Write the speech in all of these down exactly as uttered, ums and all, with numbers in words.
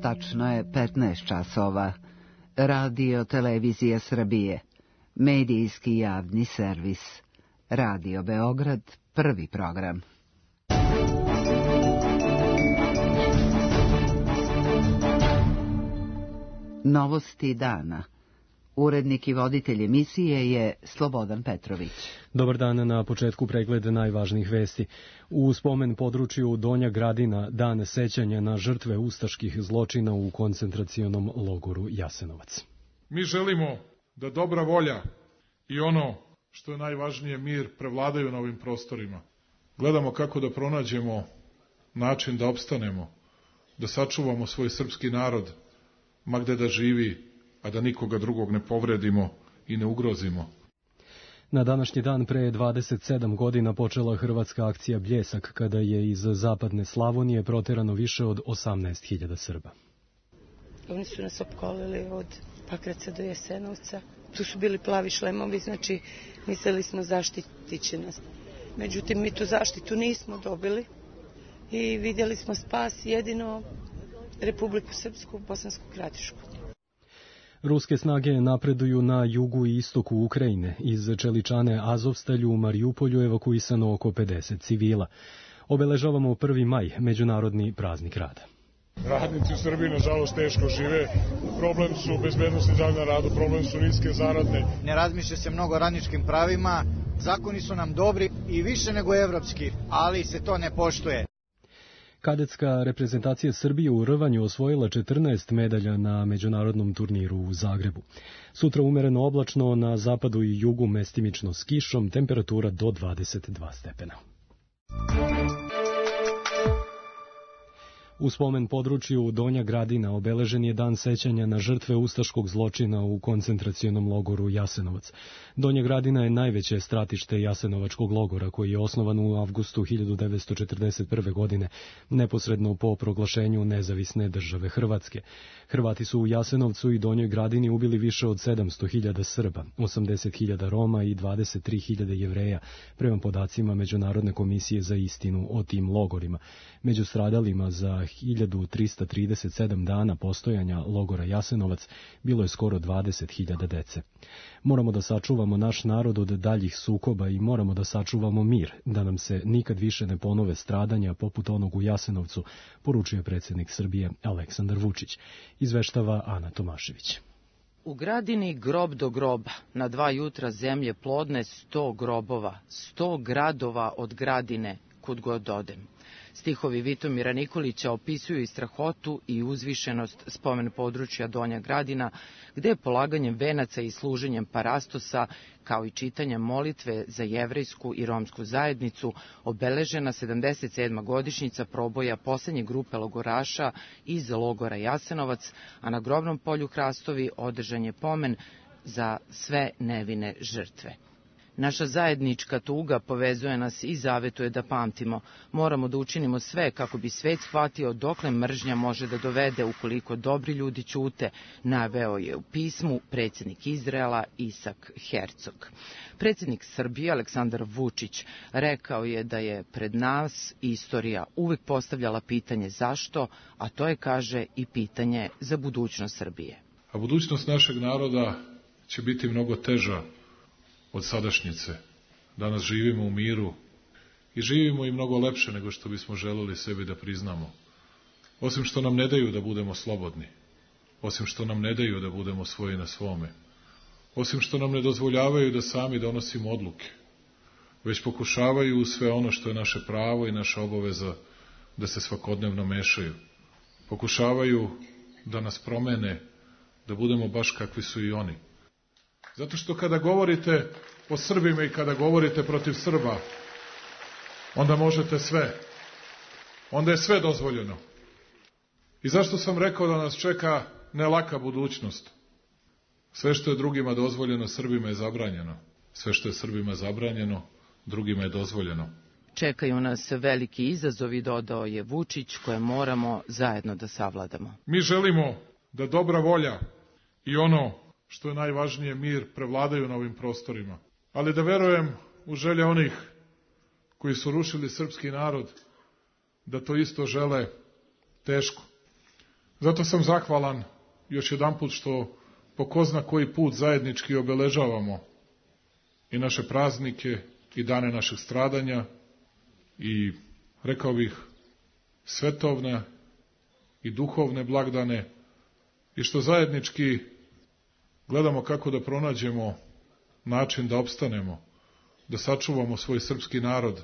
Tačno je petnaest časova. Radio Televizija Srbije. Medijski javni servis. Radio Beograd, prvi program. Novosti dana. Urednik i voditelj emisije je Slobodan Petrović. Dobar dan, na početku pregled najvažnijih vesti. U spomen području Donja Gradina, dan sećanja na žrtve ustaških zločina u koncentracionom logoru Jasenovac. Mi želimo da dobra volja i ono što je najvažnije, mir, prevladaju na ovim prostorima. Gledamo kako da pronađemo način da opstanemo, da sačuvamo svoj srpski narod, ma gde da živi, a da nikoga drugog ne povredimo i ne ugrozimo. Na današnji dan pre dvadeset sedam godina počela hrvatska akcija Bljesak, kada je iz zapadne Slavonije proterano više od osamnaest hiljada Srba. Oni su nas opkolili od Pakraca do Jasenovca. Tu su bili plavi šlemovi, znači mislili smo zaštitit će nas. Međutim, mi tu zaštitu nismo dobili i vidjeli smo spas jedino Republiku Srpsku, Bosansku Kratišku. Ruske snage napreduju na jugu i istoku Ukrajine. Iz Čeličane Azovstalju u Marijupolju evakuisano oko pedeset civila. Obeležavamo prvi maj, međunarodni praznik rada. Radnici u Srbiji, nažalost, teško žive. Problem su bezbednosti zdravlja na radu, problem su niske zaradne. Ne razmišlja se mnogo o radničkim pravima, zakoni su nam dobri i više nego evropski, ali se to ne poštuje. Kadetska reprezentacija Srbije u rvanju osvojila četrnaest medalja na međunarodnom turniru u Zagrebu. Sutra umereno oblačno, na zapadu i jugu mestimično s kišom, temperatura do dvadeset dva stepena. U spomen području Donja Gradina obeležen je dan sećanja na žrtve ustaškog zločina u koncentracionom logoru Jasenovac. Donja Gradina je najveće stratište Jasenovačkog logora, koji je osnovan u avgustu hiljadu devetsto četrdeset prve. godine, neposredno po proglašenju nezavisne države Hrvatske. Hrvati su u Jasenovcu i Donjoj Gradini ubili više od sedamsto hiljada Srba, osamdeset hiljada Roma i dvadeset tri hiljade Jevreja, prema podacima Međunarodne komisije za istinu o tim logorima. Među stradalima za hiljadu trista trideset sedam dana postojanja logora Jasenovac bilo je skoro dvadeset hiljada dece. Moramo da sačuvamo naš narod od daljih sukoba i moramo da sačuvamo mir, da nam se nikad više ne ponove stradanja poput onog u Jasenovcu, poručuje predsjednik Srbije Aleksandar Vučić. Izveštava Ana Tomašević. U Gradini grob do groba, na dva jutra zemlje plodne sto grobova, sto gradova od Gradine, kud god odem. Stihovi Vitomira Nikolića opisuju i strahotu i uzvišenost spomen područja Donja Gradina, gde je polaganjem venaca i služenjem parastosa, kao i čitanjem molitve za jevrejsku i romsku zajednicu, obeležena sedamdeset sedma godišnjica proboja poslednje grupe logoraša iz logora Jasenovac, a na grobnom polju Hrastovi održan je pomen za sve nevine žrtve. Naša zajednička tuga povezuje nas i zavetuje da pamtimo. Moramo da učinimo sve kako bi svet shvatio dokle mržnja može da dovede ukoliko dobri ljudi ćute, naveo je u pismu predsjednik Izraela Isak Hercog. Predsjednik Srbije Aleksandar Vučić rekao je da je pred nas istorija uvek postavljala pitanje zašto, a to je, kaže, i pitanje za budućnost Srbije. A budućnost našeg naroda će biti mnogo teža od sadašnjice. Danas živimo u miru i živimo i mnogo lepše nego što bismo želeli sebi da priznamo. Osim što nam ne daju da budemo slobodni, osim što nam ne daju da budemo svoji na svome, osim što nam ne dozvoljavaju da sami donosimo odluke, već pokušavaju u sve ono što je naše pravo i naša obaveza da se svakodnevno mešaju. Pokušavaju da nas promene, da budemo baš kakvi su i oni. Zato što kada govorite o Srbima i kada govorite protiv Srba, onda možete sve. Onda je sve dozvoljeno. I zašto sam rekao da nas čeka ne laka budućnost? Sve što je drugima dozvoljeno, Srbima je zabranjeno. Sve što je Srbima zabranjeno, drugima je dozvoljeno. Čekaju nas veliki izazovi, dodao je Vučić, koje moramo zajedno da savladamo. Mi želimo da dobra volja i ono što je najvažnije, mir, prevladaju na ovim prostorima. Ali da verujem u želje onih koji su rušili srpski narod, da to isto žele teško. Zato sam zahvalan još jedanput što po ko zna koji put zajednički obeležavamo i naše praznike i dane našeg stradanja i, rekao bih, svetovne i duhovne blagdane i što zajednički gledamo kako da pronađemo način da opstanemo, da sačuvamo svoj srpski narod,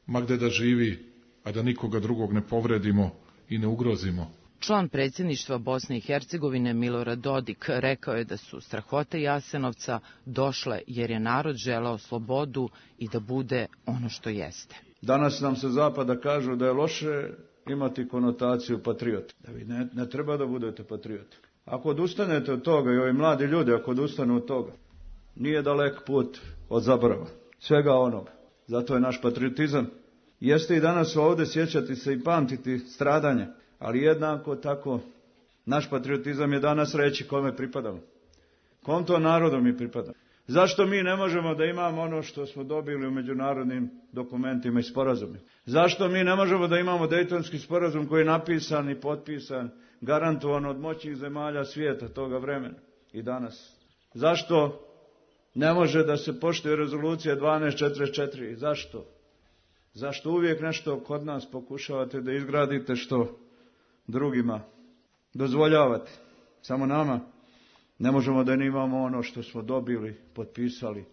ma gde da živi, a da nikoga drugog ne povredimo i ne ugrozimo. Član predsjedništva Bosne i Hercegovine Milorad Dodik rekao je da su strahote Jasenovca došle jer je narod želeo slobodu i da bude ono što jeste. Danas nam se zapada kažu da je loše imati konotaciju patriota. Da vi ne, ne treba da budete patrioti. Ako odustanete od toga i ovi mladi ljudi ako odustanu od toga, nije dalek put od zaborava. Svega onoga. Zato je naš patriotizam. Jeste i danas ovdje sjećati se i pamtiti stradanje. Ali jednako tako, naš patriotizam je danas reći kome pripadamo. Kom to narodu mi pripadamo. Zašto mi ne možemo da imamo ono što smo dobili u međunarodnim dokumentima i sporazumima? Zašto mi ne možemo da imamo Dejtonski sporazum koji je napisan i potpisan, garantovan od moćnih zemalja svijeta toga vremena i danas? Zašto ne može da se poštuje rezolucija dvanaest četrdeset četiri? Zašto? Zašto uvijek nešto kod nas pokušavate da izgradite što drugima dozvoljavate? Samo nama ne možemo da imamo ono što smo dobili, potpisali.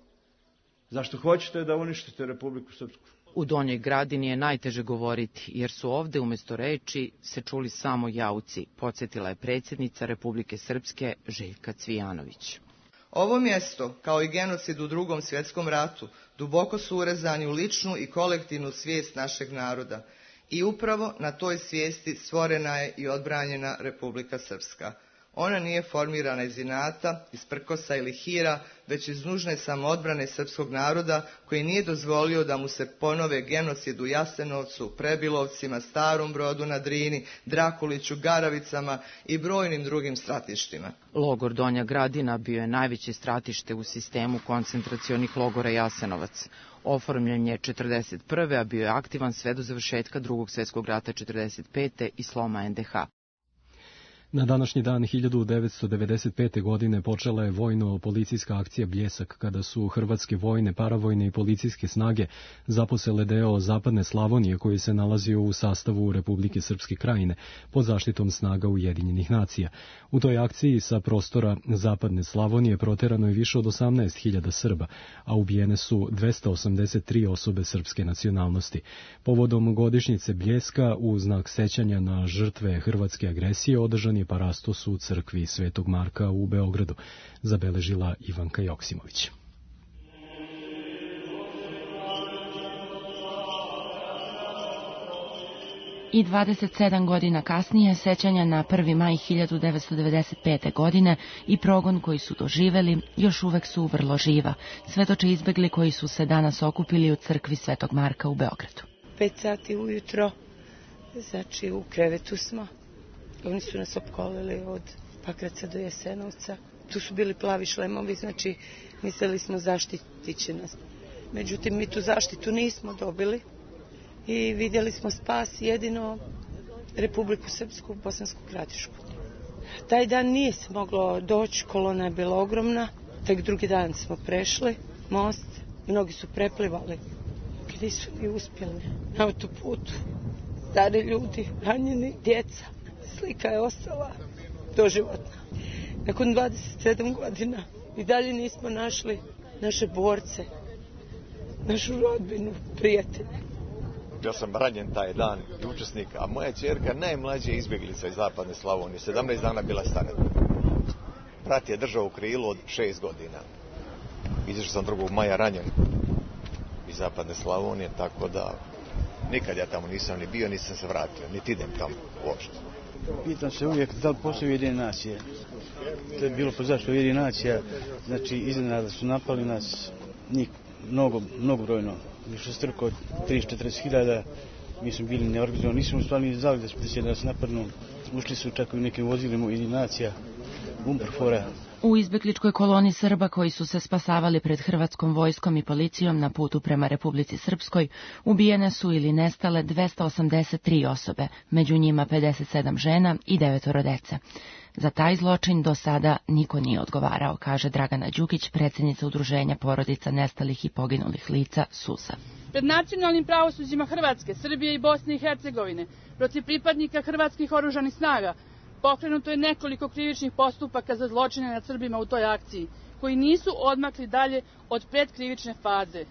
Zašto hoćete da uništite Republiku Srpsku? U Donjoj Gradini je najteže govoriti, jer su ovde umjesto reči se čuli samo jauci, podsjetila je predsjednica Republike Srpske Željka Cvijanović. Ovo mjesto, kao i genocid u Drugom svjetskom ratu, duboko su urezani u ličnu i kolektivnu svijest našeg naroda. I upravo na toj svijesti stvorena je i odbranjena Republika Srpska. Ona nije formirana iz inata, iz prkosa ili hira, već iz nužne samoodbrane srpskog naroda koji nije dozvolio da mu se ponove genocid u Jasenovcu, Prebilovcima, Starom Brodu na Drini, Drakuliću, Garavicama i brojnim drugim stratištima. Logor Donja Gradina bio je najveće stratište u sistemu koncentracionih logora Jasenovac. Oformljen je četrdeset prve. a bio je aktivan sve do završetka Drugog svjetskog rata četrdeset pete. i sloma en de ha. Na današnji dan hiljadu devetsto devedeset pete. godine počela je vojno-policijska akcija Bljesak, kada su hrvatske vojne, paravojne i policijske snage zaposele deo zapadne Slavonije koji se nalazio u sastavu Republike Srpske Krajine pod zaštitom snaga Ujedinjenih nacija. U toj akciji sa prostora zapadne Slavonije proterano je više od osamnaest hiljada Srba, a ubijene su dvesta osamdeset tri osobe srpske nacionalnosti. Povodom godišnjice Bljeska, u znak sećanja na žrtve hrvatske agresije, održan je parastos u crkvi Svetog Marka u Beogradu, zabeležila Ivanka Joksimović. I dvadeset sedam godina kasnije sećanja na prvi maj hiljadu devetsto devedeset pete. godine i progon koji su doživeli još uvek su vrlo živa, svedoče izbegli koji su se danas okupili u crkvi Svetog Marka u Beogradu. Pet sati ujutro, znači u krevetu smo. Oni su nas opkolili od Pakraca do Jasenovca. Tu su bili plavi šlemovi, znači mislili smo zaštitit će nas. Međutim, mi tu zaštitu nismo dobili i vidjeli smo spas jedino Republiku Srpsku, Bosansku Gradišku. Taj dan nije se moglo doći, kolona je bila ogromna, tek drugi dan smo prešli most, mnogi su preplivali. Gdje su mi uspjeli na autoputu, stari ljudi, ranjeni, djeca. Slika je ostala doživotna. Nakon dvadeset sedam godina i dalje nismo našli naše borce, našu rodbinu, prijatelje. Ja sam ranjen taj dan i učesnik, a moja ćerka najmlađa izbjeglica iz zapadne Slavonije, sedamnaest dana bila stara. Brat je držao u krilu od šest godina. Izašao sam drugog maja ranjen iz zapadne Slavonije, tako da nikad ja tamo nisam ni bio, nisam se vratio, niti idem tamo uopšte. Pitam se uvijek da li postoji Ujedinjene nacije. To je bilo po zašto Ujedinjene nacija, znači iznenada su napali nas, njih mnogo, mnogobrojno, više strko od trideset do četrdeset hiljada, mi smo bili neorganizovani, nismo stvarno ni znali da se da nas napadnu, ušli su čak i u nekim vozilima Ujedinjenih nacija, Umperfora, U izbegličkoj koloni Srba koji su se spasavali pred hrvatskom vojskom i policijom na putu prema Republici Srpskoj ubijene su ili nestale dvesta osamdeset tri osobe, među njima pedeset sedam žena i devetoro dece. Za taj zločin do sada niko nije odgovarao, kaže Dragana Đukić, predsjednica Udruženja porodica nestalih i poginulih lica SUSA. Pred nacionalnim pravosuđima Hrvatske, Srbije i Bosne i Hercegovine protiv pripadnika hrvatskih oružanih snaga pokrenuto je nekoliko krivičnih postupaka za zločine nad Srbima u toj akciji, koji nisu odmakli dalje od predkrivične faze.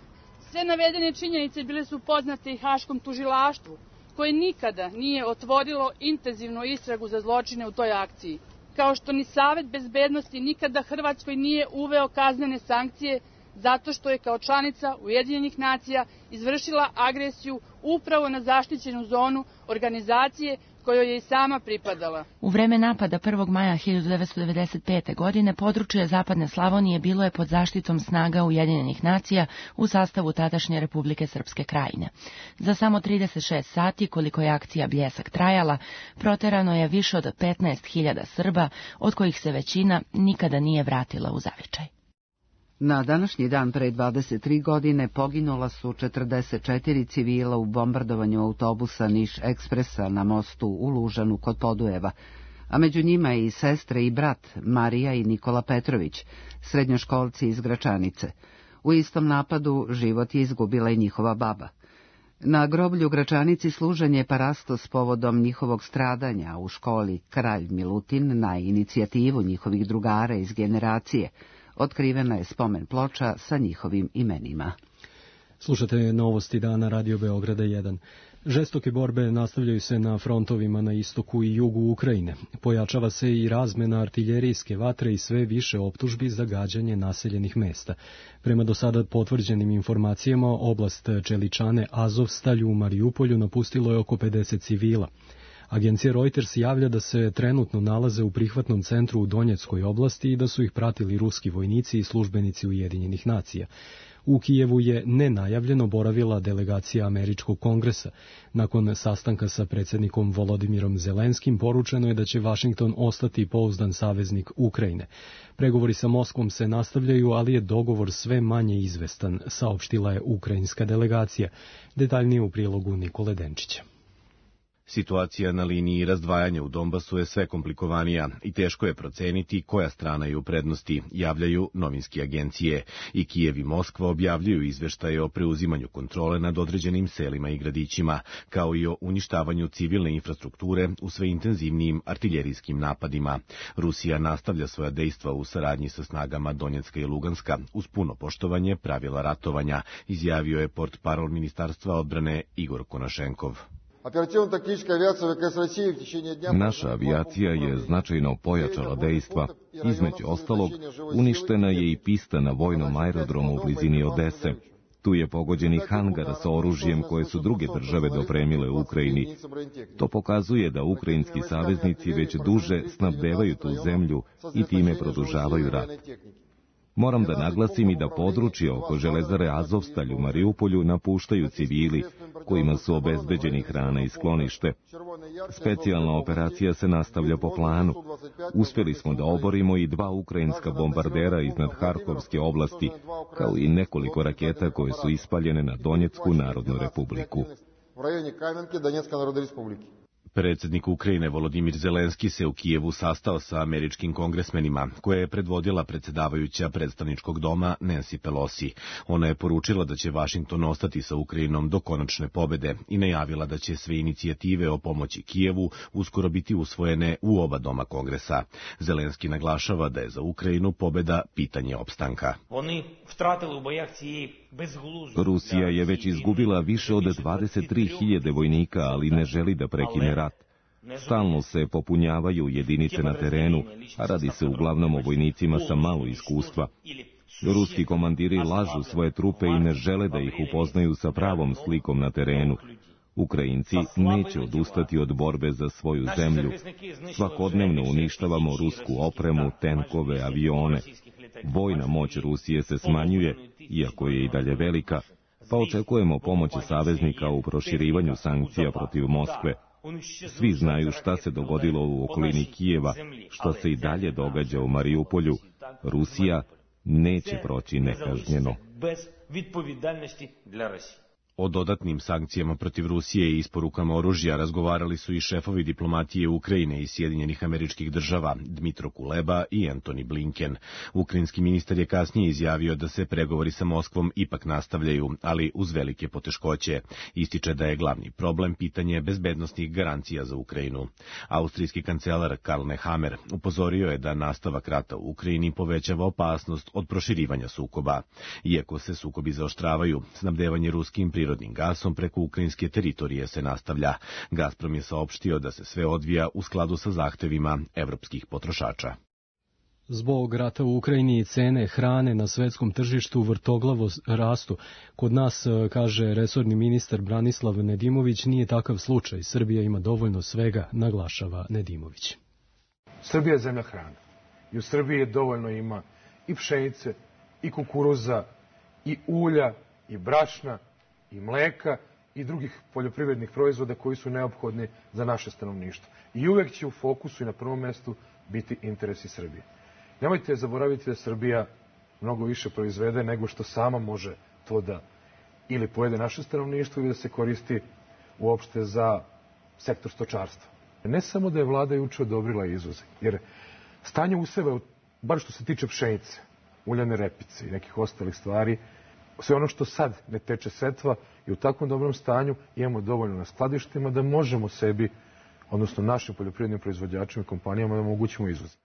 Sve navedene činjenice bile su poznate i Haškom tužilaštvu, koje nikada nije otvorilo intenzivnu istragu za zločine u toj akciji. Kao što ni Savet bezbednosti nikada Hrvatskoj nije uveo kaznene sankcije zato što je kao članica Ujedinjenih nacija izvršila agresiju upravo na zaštićenu zonu organizacije kojoj je i sama pripadala. U vreme napada prvog maja hiljadu devetsto devedeset pete. godine područje Zapadne Slavonije bilo je pod zaštitom snaga Ujedinjenih nacija u sastavu tadašnje Republike Srpske Krajine. Za samo trideset šest sati, koliko je akcija Bljesak trajala, proterano je više od petnaest hiljada Srba, od kojih se većina nikada nije vratila u zavičaj. Na današnji dan pre dvadeset tri godine poginula su četrdeset četiri civila u bombardovanju autobusa Niš Ekspresa na mostu u Lužanu kod Podujeva, a među njima i sestre i brat Marija i Nikola Petrović, srednjoškolci iz Gračanice. U istom napadu život je izgubila i njihova baba. Na groblju u Gračanici služen je parasto s povodom njihovog stradanja u školi Kralj Milutin na inicijativu njihovih drugara iz generacije. Otkrivena je spomen ploča sa njihovim imenima. Slušate novosti dana Radio Beograda jedan. Žestoke borbe nastavljaju se na frontovima na istoku i jugu Ukrajine. Pojačava se i razmena artiljerijske vatre i sve više optužbi za gađanje naseljenih mesta. Prema do sada potvrđenim informacijama, oblast Čeličane Azovstalju u Marijupolju napustilo je oko pedeset civila. Agencija Reuters javlja da se trenutno nalaze u prihvatnom centru u Donjeckoj oblasti i da su ih pratili ruski vojnici i službenici Ujedinjenih nacija. U Kijevu je nenajavljeno boravila delegacija Američkog kongresa. Nakon sastanka sa predsjednikom Volodimirom Zelenskim poručeno je da će Vašington ostati pouzdan saveznik Ukrajine. Pregovori sa Moskvom se nastavljaju, ali je dogovor sve manje izvestan, saopštila je ukrajinska delegacija. Detaljnije u prilogu Nikole Denčića. Situacija na liniji razdvajanja u Donbasu je sve komplikovanija i teško je proceniti koja strana je u prednosti, javljaju novinske agencije. I Kijev i Moskva objavljuju izveštaje o preuzimanju kontrole nad određenim selima i gradićima, kao i o uništavanju civilne infrastrukture u sve intenzivnijim artiljerijskim napadima. Rusija nastavlja svoja dejstva u saradnji sa snagama Donjecka i Luganska uz puno poštovanje pravila ratovanja, izjavio je portparol Ministarstva odbrane Igor Konašenkov. Naša avijacija je značajno pojačala dejstva. Između ostalog, uništena je i pista na vojnom aerodromu u blizini Odese. Tu je pogođen i hangar sa oružjem koje su druge države dopremile u Ukrajini. To pokazuje da ukrajinski saveznici već duže snabdevaju tu zemlju i time produžavaju rat. Moram da naglasim i da područje oko železare Azovstalj u Marijupolju napuštaju civili, kojima su obezbeđeni hrana i sklonište. Specijalna operacija se nastavlja po planu. Uspjeli smo da oborimo i dva ukrajinska bombardera iznad Harkovske oblasti, kao i nekoliko raketa koje su ispaljene na Donjecku narodnu republiku. Predsjednik Ukrajine Volodimir Zelenski se u Kijevu sastao sa američkim kongresmenima, koje je predvodila predsjedavajuća predstavničkog doma Nancy Pelosi. Ona je poručila da će Vašington ostati sa Ukrajinom do konačne pobede i najavila da će sve inicijative o pomoći Kijevu uskoro biti usvojene u oba doma kongresa. Zelenski naglašava da je za Ukrajinu pobeda pitanje opstanka. Rusija je već izgubila više od dvadeset tri hiljade vojnika, ali ne želi da prekine rat. Stalno se popunjavaju jedinice na terenu, a radi se uglavnom o vojnicima sa malo iskustva. Ruski komandiri lažu svoje trupe i ne žele da ih upoznaju sa pravom slikom na terenu. Ukrajinci neće odustati od borbe za svoju zemlju. Svakodnevno uništavamo rusku opremu, tenkove, avione. Vojna moć Rusije se smanjuje, iako je i dalje velika, pa očekujemo pomoć saveznika u proširivanju sankcija protiv Moskve. Svi znaju šta se dogodilo u okolini Kijeva, šta se i dalje događa u Marijupolju, Rusija neće proći nekažnjeno. O dodatnim sankcijama protiv Rusije i isporukama oružja razgovarali su i šefovi diplomatije Ukrajine i Sjedinjenih Američkih Država, Dmitro Kuleba i Antony Blinken. Ukrajinski ministar je kasnije izjavio da se pregovori sa Moskvom ipak nastavljaju, ali uz velike poteškoće. Ističe da je glavni problem pitanje bezbednosnih garancija za Ukrajinu. Austrijski kancelar Karl Nehammer upozorio je da nastavak rata u Ukrajini povećava opasnost od proširivanja sukoba. Iako se sukobi zaoštravaju, snabdevanje ruskim prirodnim gasom preko ukrajinske teritorije se nastavlja. Gazprom je saopštio da se sve odvija u skladu sa zahtevima evropskih potrošača. Zbog rata u Ukrajini cene hrane na svetskom tržištu vrtoglavo rastu. Kod nas, kaže resorni ministar Branislav Nedimović, nije takav slučaj. Srbija ima dovoljno svega, naglašava Nedimović. Srbija je zemlja hrane. I u Srbiji dovoljno ima i pšenice, i kukuruza, i ulja, i brašna, i mleka i drugih poljoprivrednih proizvoda koji su neophodni za naše stanovništvo. I uvek će u fokusu i na prvom mestu biti interesi Srbije. Nemojte zaboraviti da Srbija mnogo više proizvede nego što sama može to da ili pojede naše stanovništvo ili da se koristi uopšte za sektor stočarstva. Ne samo da je vlada juče odobrila izvoze, jer stanje u sebe, bar što se tiče pšenice, uljane repice i nekih ostalih stvari, sve ono što sad ne teče setva i u takvom dobrom stanju imamo dovoljno na skladištima da možemo sebi, odnosno našim poljoprivrednim proizvođačima i kompanijama da omogućimo izvoz.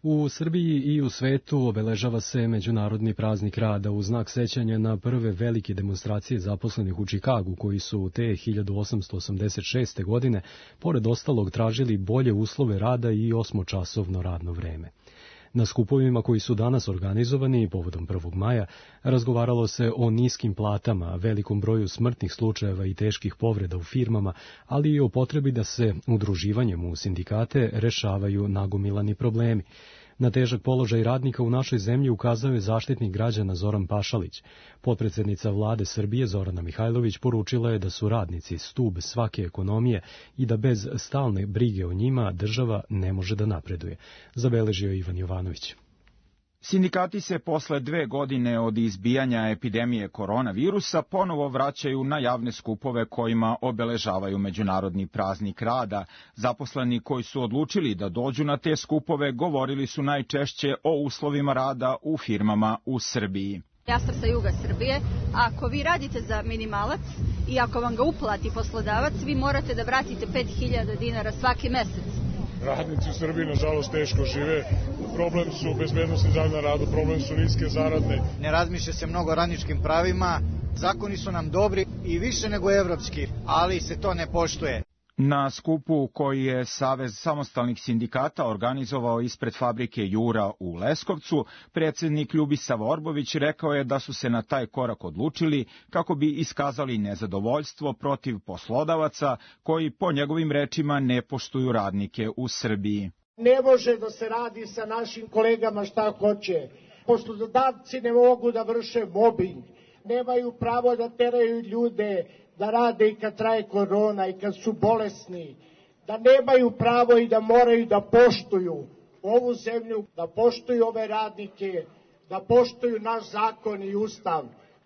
U Srbiji i u svetu obeležava se Međunarodni praznik rada u znak sećanja na prve velike demonstracije zaposlenih u Čikagu, koji su te hiljadu osamsto osamdeset šeste. godine, pored ostalog, tražili bolje uslove rada i osmočasovno radno vreme. Na skupovima koji su danas organizovani povodom prvog maja razgovaralo se o niskim platama, velikom broju smrtnih slučajeva i teških povreda u firmama, ali i o potrebi da se udruživanjem u sindikate rešavaju nagomilani problemi. Na težak položaj radnika u našoj zemlji ukazao je zaštitnik građana Zoran Pašalić. Potpredsednica vlade Srbije Zorana Mihajlović poručila je da su radnici stub svake ekonomije i da bez stalne brige o njima država ne može da napreduje, zabeležio je Ivan Jovanović. Sindikati se posle dve godine od izbijanja epidemije koronavirusa ponovo vraćaju na javne skupove kojima obeležavaju Međunarodni praznik rada. Zaposleni koji su odlučili da dođu na te skupove govorili su najčešće o uslovima rada u firmama u Srbiji. Ja sam sa juga Srbije. Ako vi radite za minimalac i ako vam ga uplati poslodavac, vi morate da vratite pet hiljada dinara svaki mesec. Radnici u Srbiji, nažalost, teško žive. Problem su bezbednosti zdravlja na radu, problem su niske zaradne. Ne razmišlja se mnogo o radničkim pravima, zakoni su nam dobri i više nego evropski, ali se to ne poštuje. Na skupu koji je Savez samostalnih sindikata organizovao ispred fabrike Jura u Leskovcu, predsjednik Ljubisav Orbović rekao je da su se na taj korak odlučili kako bi iskazali nezadovoljstvo protiv poslodavaca koji po njegovim rečima ne poštuju radnike u Srbiji. Ne može da se radi sa našim kolegama šta hoće. Poslodavci ne mogu da vrše mobbing, nemaju pravo da teraju ljude da rade i kad traje korona i kad su bolesni, da nemaju pravo i da moraju da poštuju ovu zemlju, da poštuju ove radnike, da poštuju naš zakon i ustav.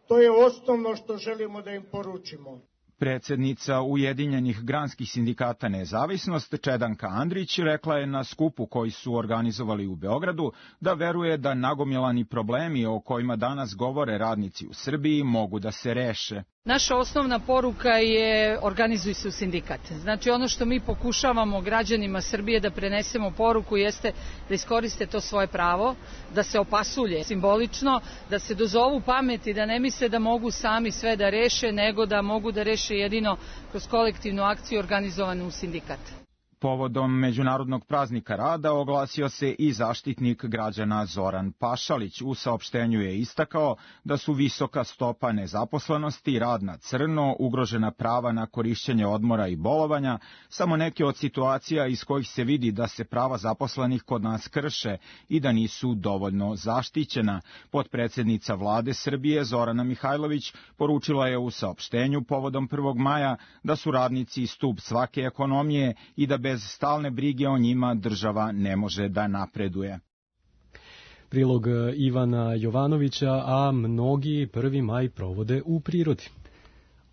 To je osnovno što želimo da im poručimo. Predsjednica Ujedinjenih granskih sindikata Nezavisnost Čedanka Andrić rekla je na skupu koji su organizovali u Beogradu da veruje da nagomilani problemi o kojima danas govore radnici u Srbiji mogu da se reše. Naša osnovna poruka je organizuj se u sindikat. Znači ono što mi pokušavamo građanima Srbije da prenesemo poruku jeste da iskoriste to svoje pravo, da se opasulje simbolično, da se dozovu pameti, da ne misle da mogu sami sve da reše, nego da mogu da reše jedino kroz kolektivnu akciju organizovanu u sindikat. Povodom Međunarodnog praznika rada oglasio se i zaštitnik građana Zoran Pašalić. U saopštenju je istakao da su visoka stopa nezaposlenosti, rad na crno, ugrožena prava na korišćenje odmora i bolovanja, samo neke od situacija iz kojih se vidi da se prava zaposlenih kod nas krše i da nisu dovoljno zaštićena. Potpredsjednica vlade Srbije Zorana Mihajlović poručila je u saopštenju povodom prvog maja da su radnici stub svake ekonomije i da bez stalne brige o njima država ne može da napreduje. Prilog Ivana Jovanovića, a mnogi prvi maj provode u prirodi.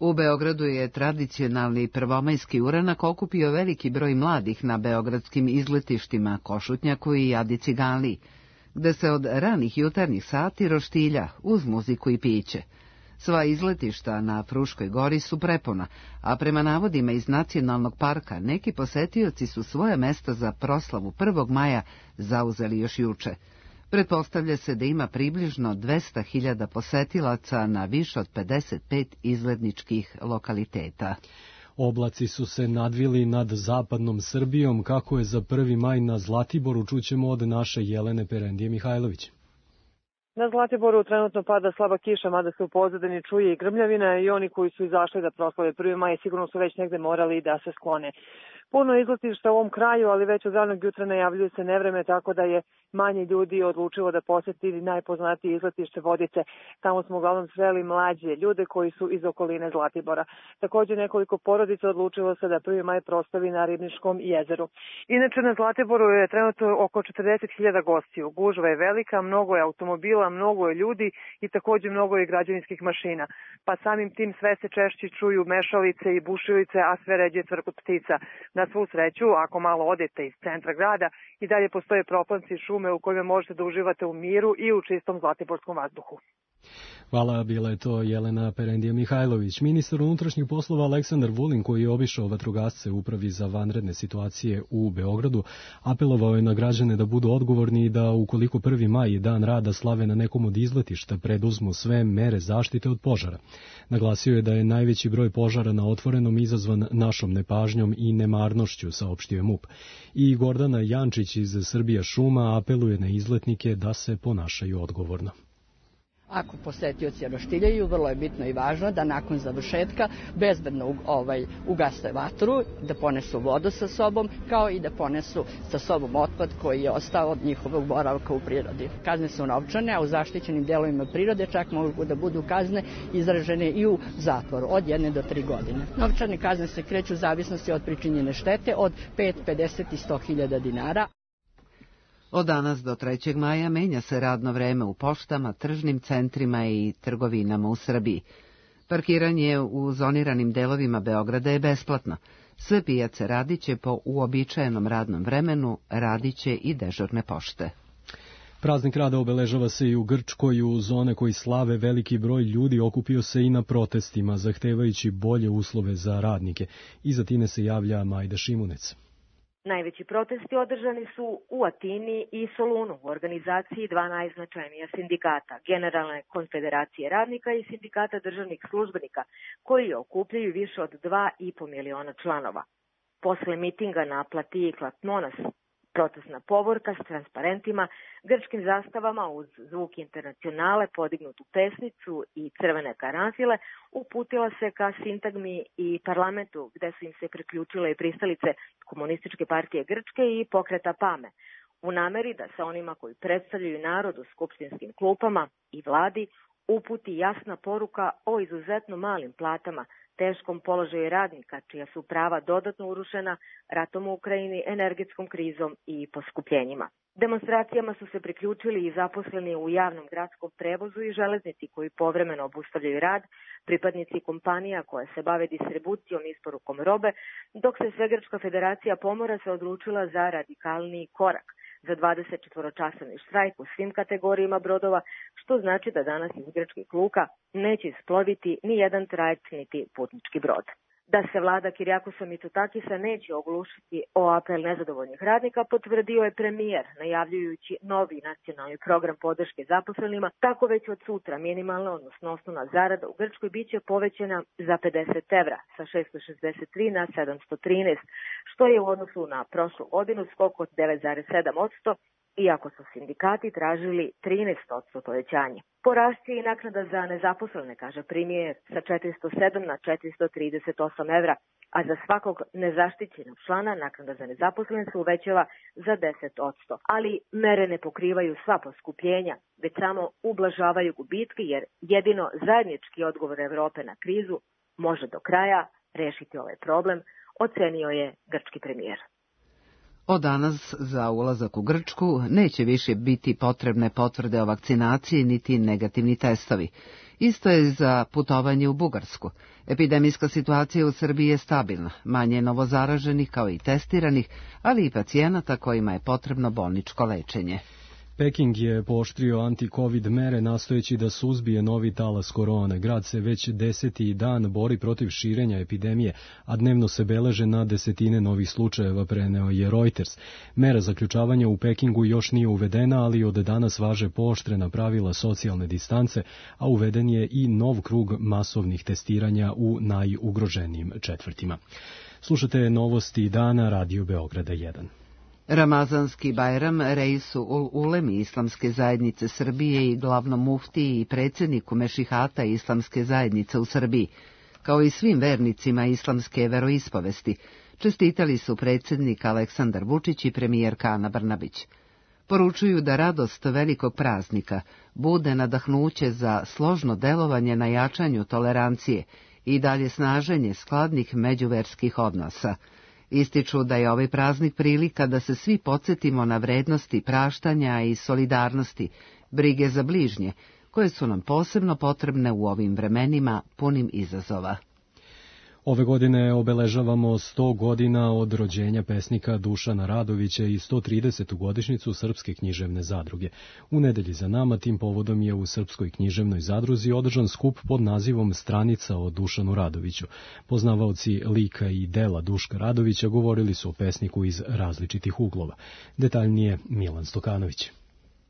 U Beogradu je tradicionalni prvomajski uranak okupio veliki broj mladih na beogradskim izletištima Košutnjaku i Adi Ciganliji, gde se od ranih jutarnjih sati roštilja uz muziku i piće. Sva izletišta na Fruškoj gori su prepuna, a prema navodima iz Nacionalnog parka neki posetioci su svoje mesta za proslavu prvog maja zauzeli još juče. Pretpostavlja se da ima približno dvesta hiljada posetilaca na više od pedeset pet izletničkih lokaliteta. Oblaci su se nadvili nad zapadnom Srbijom, kako je za prvi maj na Zlatiboru, čućemo od naše Jelene Perendije Mihajlović. Na Zlatiboru trenutno pada slaba kiša, mada se u pozadini čuje i grmljavina i oni koji su izašli da proslave prvi maj sigurno su već negde morali da se sklone. Puno izletišta u ovom kraju, ali već od ranog jutra najavljuje se nevreme, tako da je manje ljudi odlučilo da poseti najpoznatije izletište Vodice. Tamo smo uglavnom sreli mlađe ljude koji su iz okoline Zlatibora. Također nekoliko porodica odlučilo se da prvi maj proslavi na Ribničkom jezeru. Inače na Zlatiboru je trenutno oko četrdeset hiljada gostiju. Gužva je velika, mnogo je automobila, mnogo je ljudi i također mnogo je građevinskih mašina. Pa samim tim sve se češće čuju mešalice i bušilice, a sve ređe cvrkut ptica. Na svu sreću, ako malo odete iz centra grada, i dalje postoje proplanci i šume u kojima možete da uživate u miru i u čistom zlatiborskom vazduhu. Hvala, bila je to Jelena Perendija Mihajlović. Ministar unutrašnjih poslova Aleksandar Vulin, koji je obišao vatrogasce u Upravi za vanredne situacije u Beogradu, apelovao je na građane da budu odgovorni i da ukoliko prvi maj je dan rada slave na nekom od izletišta, preduzmu sve mere zaštite od požara. Naglasio je da je najveći broj požara na otvorenom izazvan našom nepažnjom i nemarnošću, saopštio je MUP. I Gordana Jančić iz Srbija šuma apeluje na izletnike da se ponašaju odgovorno. Ako posetioci roštiljaju, vrlo je bitno i važno da nakon završetka bezbedno ovaj, ugase vatru, da ponesu vodu sa sobom, kao i da ponesu sa sobom otpad koji je ostao od njihovog boravka u prirodi. Kazne su novčane, a u zaštićenim delovima prirode čak mogu da budu kazne izražene i u zatvoru od jedne do tri godine. Novčane kazne se kreću u zavisnosti od pričinjene štete od pet, pedeset i sto hiljada dinara. Od danas do trećeg maja menja se radno vreme u poštama, tržnim centrima i trgovinama u Srbiji. Parkiranje u zoniranim delovima Beograda je besplatno. Sve pijace radiće po uobičajenom radnom vremenu, radiće i dežurne pošte. Praznik rada obeležava se i u Grčkoj. U zone koji slave veliki broj ljudi okupio se i na protestima, zahtevajući bolje uslove za radnike. Iza Tine se javlja Majda Šimunec. Najveći protesti održani su u Atini i Solunu u organizaciji dva najznačajnija sindikata, Generalne konfederacije radnika i Sindikata državnih službenika, koji okupljaju više od dva i po miliona članova. Posle mitinga na platiji Klatmonas, protestna povorka s transparentima, grčkim zastavama uz zvuk internacionale, podignutu pesnicu i crvene karanfile, uputila se ka sintagmi i parlamentu, gde su im se priključile i pristalice Komunističke partije Grčke i Pokreta Pame, u nameri da sa onima koji predstavljaju narod u skupštinskim klupama i vladi uputi jasna poruka o izuzetno malim platama, teškom položaju radnika, čija su prava dodatno urušena ratom u Ukrajini, energetskom krizom i poskupljenjima. Demonstracijama su se priključili i zaposleni u javnom gradskom prevozu i železnici koji povremeno obustavljaju rad, pripadnici kompanija koje se bave distribucijom i isporukom robe, dok se Svegrčka federacija pomora se odlučila za radikalniji korak, za dvadesetčetvoročasovni štrajk u svim kategorijama brodova, što znači da danas iz grčkih luka neće isploviti ni jedan trajekt niti putnički brod. Da se vlada Kirijakosa Mitsotakisa neće oglušiti o apel nezadovoljnih radnika, potvrdio je premijer, najavljujući novi nacionalni program podrške zaposlenima, tako već od sutra minimalna, odnosno osnovna zarada u Grčkoj biće povećana za pedeset evra, sa šessto šezdeset tri na sedamsto trinaest, što je u odnosu na prošlu godinu skok od devet zarez sedam posto, iako su sindikati tražili trinaest posto povećanje. Porast je i naknada za nezaposlene, kaže premijer, sa četiristo sedam na četiristo trideset osam evra, a za svakog nezaštićenog člana naknada za nezaposlene se uvećava za deset posto. Ali mere ne pokrivaju sva poskupljenja, već samo ublažavaju gubitke, jer jedino zajednički odgovor Evrope na krizu može do kraja rešiti ovaj problem, ocenio je grčki premijer. Od danas za ulazak u Grčku neće više biti potrebne potvrde o vakcinaciji niti negativni testovi. Isto je za putovanje u Bugarsku. Epidemijska situacija u Srbiji je stabilna, manje novozaraženih kao i testiranih, ali i pacijenata kojima je potrebno bolničko lečenje. Peking je pooštrio anti-covid mere nastojeći da suzbije novi talas korone. Grad se već deseti dan bori protiv širenja epidemije, a dnevno se beleže na desetine novih slučajeva, preneo je Reuters. Mera zaključavanja u Pekingu još nije uvedena, ali od danas važe pooštrena pravila socijalne distance, a uveden je i nov krug masovnih testiranja u najugroženijim četvrtima. Slušate novosti dana Radio Beograda jedan. Ramazanski Bajram reisu ul ulemi Islamske zajednice Srbije i glavnom muftiji i predsjedniku Mešihata Islamske zajednice u Srbiji, kao i svim vernicima islamske veroispovesti, čestitali su predsjednik Aleksandar Vučić i premijerka Ana Brnabić. Poručuju da radost velikog praznika bude nadahnuće za složno delovanje na jačanju tolerancije i dalje snaženje skladnih međuverskih odnosa. Ističu da je ovaj praznik prilika da se svi podsjetimo na vrednosti praštanja i solidarnosti, brige za bližnje, koje su nam posebno potrebne u ovim vremenima punim izazova. Ove godine obeležavamo sto godina od rođenja pesnika Dušana Radovića i sto tridesetu godišnjicu Srpske književne zadruge. U nedelji za nama tim povodom je u Srpskoj književnoj zadruzi održan skup pod nazivom Stranica o Dušanu Radoviću. Poznavaoci lika i dela Duška Radovića govorili su o pesniku iz različitih uglova. Detaljnije Milan Stokanović.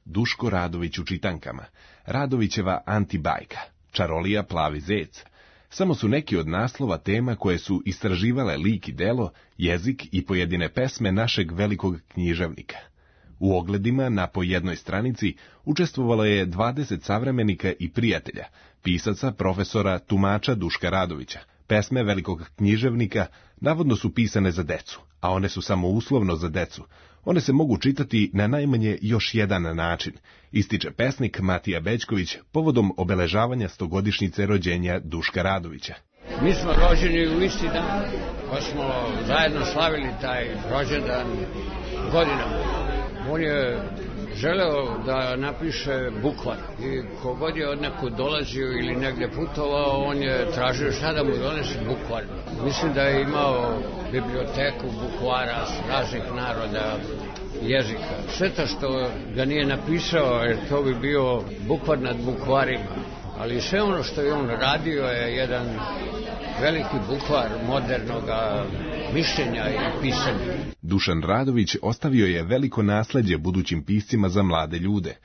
Duško Radović u čitankama, Radovićeva antibajka, Čarolija plavi zec, samo su neki od naslova tema koje su istraživale lik i delo, jezik i pojedine pesme našeg velikog književnika. U ogledima na po jednoj stranici učestvovalo je dvadeset savremenika i prijatelja, pisaca, profesora, tumača Duška Radovića. Pesme velikog književnika navodno su pisane za decu, a one su samo uslovno za decu. One se mogu čitati na najmanje još jedan način, ističe pesnik Matija Bećković povodom obeležavanja stogodišnjice rođenja Duška Radovića. Mi smo rođeni u isti dan, pa smo zajedno slavili taj rođendan godinama. On je želeo da napiše bukvar i kogod je od nekud dolazio ili negde putovao, on je tražio šta da mu donese bukvar. Mislim da je imao biblioteku bukvara raznih naroda, jezika. Šteta što ga nije napisao, jer to bi bio bukvar nad bukvarima. Ali sve ono što je on radio je jedan veliki bukvar modernog mišljenja i pisanja. Dušan Radović ostavio je veliko nasleđe budućim piscima za mlade ljude.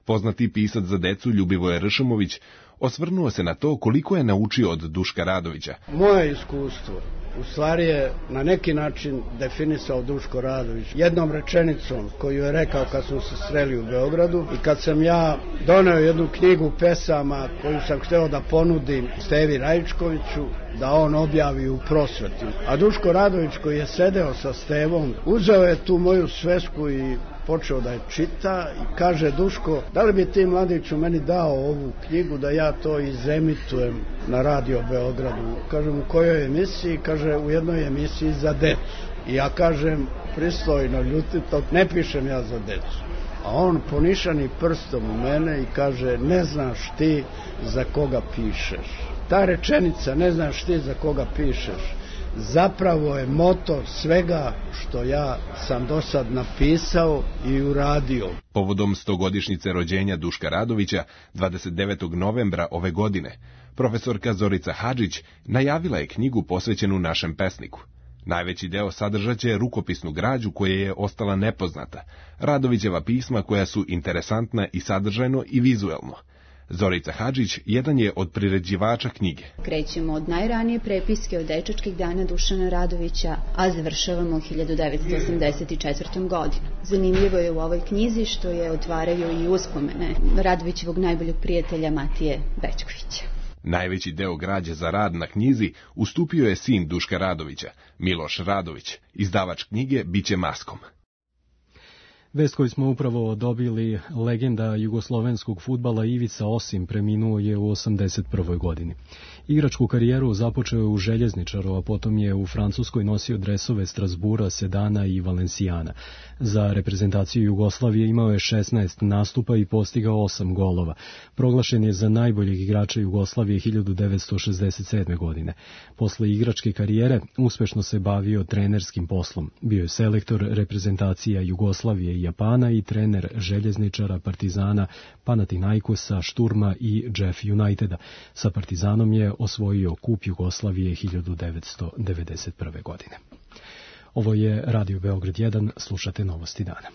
Poznati pisac za decu Ljubivoje Ršumović osvrnuo se na to koliko je naučio od Duška Radovića. Moje iskustvo u stvari je na neki način definisao Duško Radović jednom rečenicom koju je rekao kad smo se sreli u Beogradu i kad sam ja doneo jednu knjigu pesama koju sam hteo da ponudim Stevi Rajičkoviću da on objavi u prosveti. A Duško Radović koji je sedeo sa Stevom uzeo je tu moju svesku i počeo da je čita i kaže: Duško, da li bi ti mladiću meni dao ovu knjigu da ja to izemitujem na Radio Beogradu? Kažem, u kojoj emisiji? Kaže, u jednoj emisiji za decu. I ja kažem, pristojno, ljutito, ne pišem ja za decu. A on ponišani prstom u mene i kaže: ne znaš ti za koga pišeš. Ta rečenica, ne znaš ti za koga pišeš, zapravo je motor svega što ja sam do sad napisao i uradio. Povodom stogodišnjice rođenja Duška Radovića, dvadeset devetog novembra ove godine, profesorka Zorica Hadžić najavila je knjigu posvećenu našem pesniku. Najveći deo sadržaće rukopisnu građu koja je ostala nepoznata, Radovićeva pisma koja su interesantna i sadržajno i vizuelno. Zorica Hadžić jedan je od priređivača knjige. Krećemo od najranije prepiske od dečačkih dana Dušana Radovića, a završavamo hiljadu devetsto osamdeset četvrtom godinu. Zanimljivo je u ovoj knjizi što je otvaraju i uspomene Radovićevog najboljeg prijatelja Matije Bećkovića. Najveći deo građe za rad na knjizi ustupio je sin Duška Radovića, Miloš Radović. Izdavač knjige biće Maskom. Vest koju smo upravo dobili, legenda jugoslovenskog fudbala Ivica Osim preminuo je u osamdeset prvoj godini. Igračku karijeru započeo je u Željezničaru, a potom je u Francuskoj nosio dresove Strasbura, Sedana i Valencijana. Za reprezentaciju Jugoslavije imao je šesnaest nastupa i postigao osam golova. Proglašen je za najboljeg igrača Jugoslavije hiljadu devetsto šezdeset sedme. godine. Posle igračke karijere uspešno se bavio trenerskim poslom. Bio je selektor reprezentacija Jugoslavije i Japana i trener Željezničara, Partizana, Panathinaikosa, Šturma i Jeff Uniteda. Sa Partizanom je osvojio kup Jugoslavije hiljadu devetsto devedeset prve. godine. Ovo je Radio Beograd jedan, slušate Novosti dana.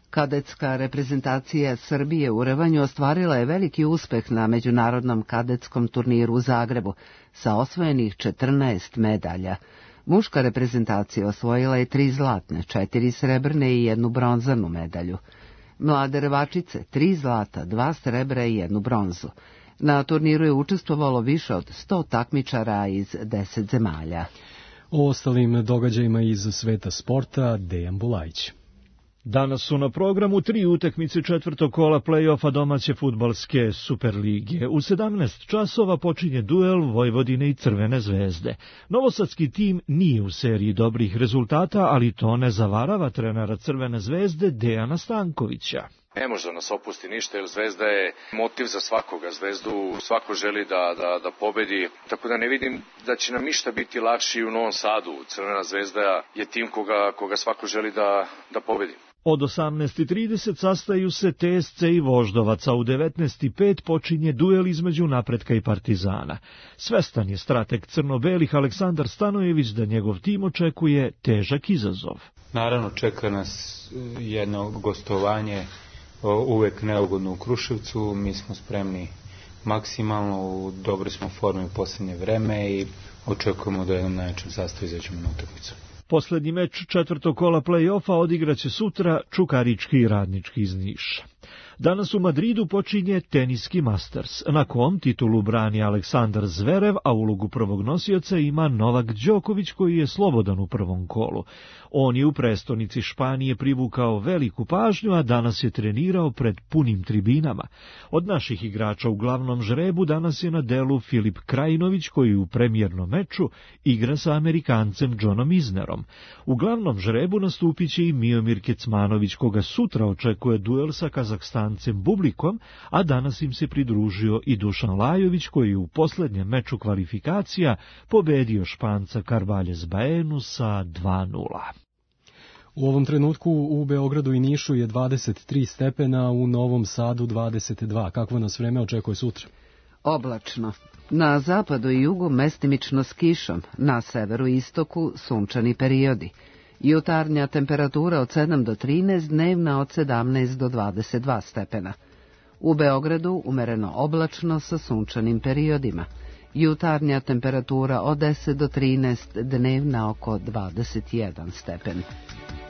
Kadetska reprezentacija Srbije u rvanju ostvarila je veliki uspeh na međunarodnom kadetskom turniru u Zagrebu sa osvojenih četrnaest medalja. Muška reprezentacija osvojila je tri zlatne, četiri srebrne i jednu bronzanu medalju. Mlade rvačice, tri zlata, dva srebra i jednu bronzu. Na turniru je učestvovalo više od sto takmičara iz deset zemalja. O ostalim događajima iz sveta sporta Dejan Bulajić. Danas su na programu tri utakmice četvrtog kola play-offa domaće fudbalske Superlige. U sedamnaest časova počinje duel Vojvodine i Crvene zvezde. Novosadski tim nije u seriji dobrih rezultata, ali to ne zavarava trenera Crvene zvezde Dejana Stankovića. Ne može da nas opusti ništa, jer Zvezda je motiv za svakoga. Zvezdu svako želi da, da, da pobedi, tako da ne vidim da će nam ništa biti lakši u Novom Sadu. Crvena zvezda je tim koga, koga svako želi da, da pobedi. Od osamnaest i trideset sastaju se T S C i Voždovac, a u devetnaest i pet počinje duel između Napretka i Partizana. Svestan je strateg crno-belih Aleksandar Stanojević da njegov tim očekuje težak izazov. Naravno, čeka nas jedno gostovanje, uvek neugodno u Kruševcu. Mi smo spremni maksimalno, u dobroj smo formi u posljednje vreme i očekujemo da jednom najjačem sastavu izađemo na utakmicu. Poslednji meč četvrtog kola play-offa odigraće sutra Čukarički i Radnički iz Niša. Danas u Madridu počinje teniski Masters, na kom titulu brani Aleksandar Zverev, a ulogu prvog nosioca ima Novak Đoković, koji je slobodan u prvom kolu. On je u prestonici Španije privukao veliku pažnju, a danas je trenirao pred punim tribinama. Od naših igrača u glavnom žrebu danas je na delu Filip Krajinović, koji u premijernom meču igra sa Amerikancem Johnom Isnerom. U glavnom žrebu nastupit će i Miomir Kecmanović, koga sutra očekuje duel sa Kazahstancem Bublikom, a danas im se pridružio i Dušan Lajović, koji je u posljednjem meču kvalifikacija pobedio Španca Carvalhes Baenu sa dva nula. U ovom trenutku u Beogradu i Nišu je dvadeset tri stepena, u Novom Sadu dvadeset dva. Kakvo nas vreme očekuje sutra? Oblačno. Na zapadu i jugu mestimično s kišom, na severu i istoku sunčani periodi. Jutarnja temperatura od sedam do trinaest, dnevna od sedamnaest do dvadeset dva stepena. U Beogradu umereno oblačno sa sunčanim periodima. Jutarnja temperatura od deset do trinaest, dnevna oko dvadeset jedan stepen.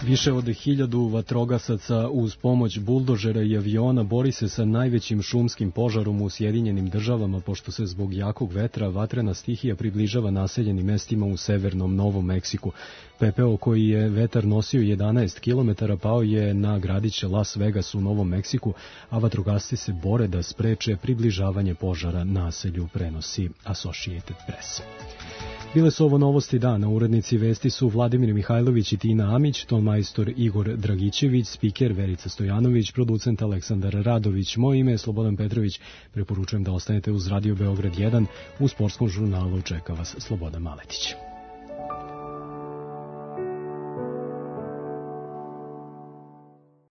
Više od hiljadu vatrogasaca uz pomoć buldožera i aviona bori se sa najvećim šumskim požarom u Sjedinjenim državama, pošto se zbog jakog vetra vatrena stihija približava naseljenim mestima u severnom Novom Meksiku. Pepeo koji je vetar nosio jedanaest kilometara pao je na gradiće Las Vegas u Novom Meksiku, a vatrogasci se bore da spreče približavanje požara naselju, prenosi Associated Press. Bile su ovo Novosti dana, urednici vesti su Vladimir Mihajlović i Tina Amić, tonmajstor Igor Dragićević, spiker Verica Stojanović, producent Aleksandar Radović. Moje ime je Slobodan Petrović, preporučujem da ostanete uz Radio Beograd jedan, u sportskom žurnalu čeka vas Slobodan Maletić.